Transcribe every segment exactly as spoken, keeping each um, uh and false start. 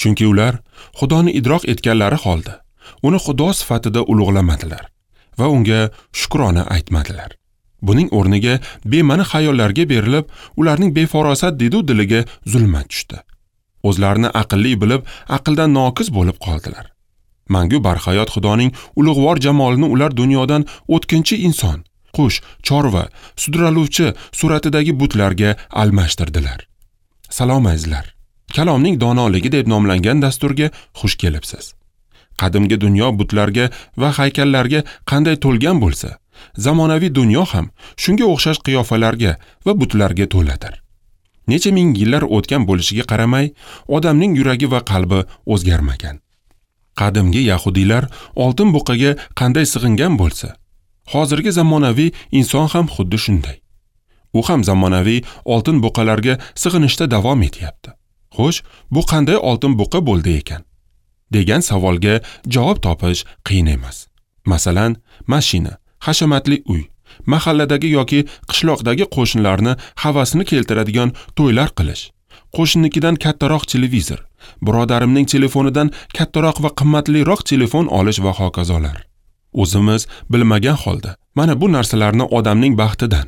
Chunki ular Xudoni idrok etganlari holda uni Xudo sifatida ulug'lamadilar va unga shukrona aytmadilar. Buning o'rniga bema'ni xayollarga berilib, ularning befarosat didu diliga zulmat tushdi. O'zlarini aqlli bilib, aqldan noqiz bo'lib qoldilar. Mangu barhayot Xudoning ulug'vor jamolini ular dunyodan o'tkinchi inson, qush, chorva, sudraluvchi suratidagi butlarga almashtirdilar. Salom azizlar. Kalomning donoligi deb nomlangan dasturga xush kelibsiz. Qadimgi dunyo butlarga va haykallarga qanday to'lgan bo'lsa, zamonaviy dunyo ham shunga o'xshash qiyofalarga va butlarga to'ladir. Necha ming yillar o'tgan bo'lishiga qaramay, odamning yuragi va qalbi o'zgarmagan. Qadimgi yahudiylar oltin buqaga qanday sig'ingan bo'lsa, hozirgi zamonaviy inson ham xuddi shunday. U ham zamonaviy oltin buqalarga sig'inishda davom etyapti. Xo'sh, bu qanday oltin buqa bo'ldi ekan? Degan savolga javob topish qiyin emas. Masalan, mashina, hashamatli uy, mahalladagi yoki qishloqdagi qo'shnilarni havasini keltiradigan to'ylar qilish, qo'shninikidan kattaroq televizor, birodarimning telefonidan kattaroq va qimmatliroq telefon olish va hokazolar. O'zimiz bilmagan holda mana bu narsalarni odamning baxtidan,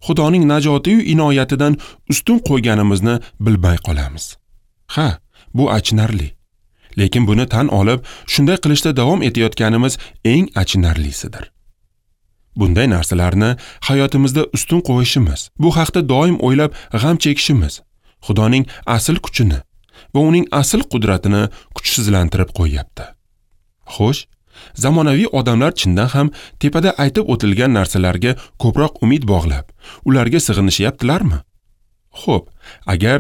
Xudoning najoti-yu inoyatidan ustun qo'yganimizni bilmay qolamiz. Ha, bu achinarli. Lekin buni tan olib, shunday qilishda davom etayotganimiz eng achinarlisidir. Bunday narsalarni hayotimizda ustun qo'yishimiz, bu haqda doim o'ylab g'am chekishimiz Xudoning asl kuchini va uning asl qudratini kuchsizlantirib qo'yapti. Xo'sh, zamonaviy odamlar chindan ham tepada aytib o'tilgan narsalarga ko'proq umid bog'lab, ularga sig'inishyaptilarmi? Xo'p, agar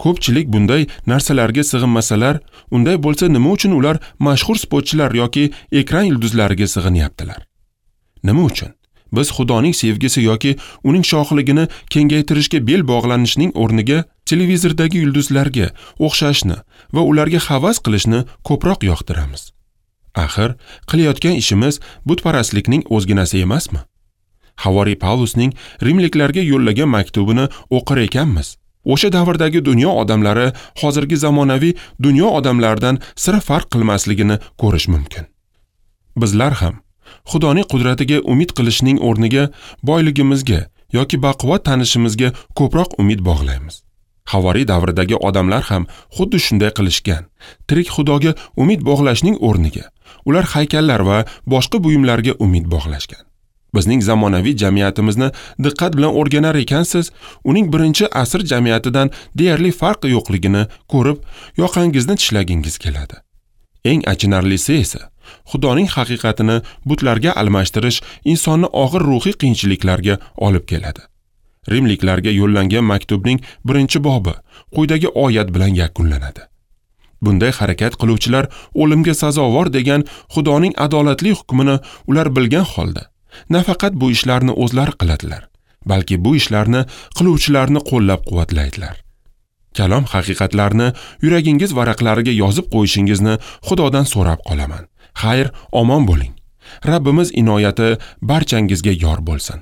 ko'pchilik bunday narsalarga sig'inmasalar, unday bo'lsa nima uchun ular mashhur sportchilar yoki ekran yulduzlariga sig'inyaptilar? Nima uchun? Biz Xudoning sevgisi yoki uning shohligini kengaytirishga bel bog'lanishning o'rniga televizordagi yulduzlarga o'xshashni va ularga havas qilishni ko'proq yoqtiramiz. Axir, qilayotgan ishimiz butparastlikning o'zginasi emasmi? Havoriy Pavlusning rimliklarga yo'llagan maktubini o'qir ekanmiz. O'sha davrdagi dunyo odamlari hozirgi zamonaviy dunyo odamlaridan sira farq qilmasligini ko'rish mumkin. Bizlar ham Xudoning qudratiga umid qilishning o'rniga boyligimizga yoki baquvvat tanishimizga ko'proq umid bog'laymiz. Havoriy davridagi odamlar ham xuddi shunday qilishgan. Tirik Xudoga umid bog'lashning o'rniga ular haykallar va boshqa buyumlarga umid bog'lashgan. Bizning zamonaviy jamiyatimizni diqqat bilan o'rganar ekansiz, uning birinchi asr jamiyatidan deyarli farqi yo'qligini ko'rib, yoqangizni tishlagingiz keladi. Eng achinarlisi esa, Xudoning haqiqatini butlarga almashtirish insonni og'ir ruhiy qiyinchiliklarga olib keladi. Rimliklarga yo'llangan maktubning birinchi bobi quyidagi oyat bilan yakunlanadi. Bunday harakat qiluvchilar o'limga sazovor degan Xudoning adolatli hukmini ular bilgan holda nafaqat bu ishlarni o'zlari qiladilar, balki bu ishlarni qiluvchilarni qo'llab-quvvatlaydilar. Kalom haqiqatlarini yuragingiz varaqlariga yozib qo'yishingizni Xudodan so'rab qolaman. Xayr, omon bo'ling. Rabbimiz inoyati barchangizga yor bo'lsin.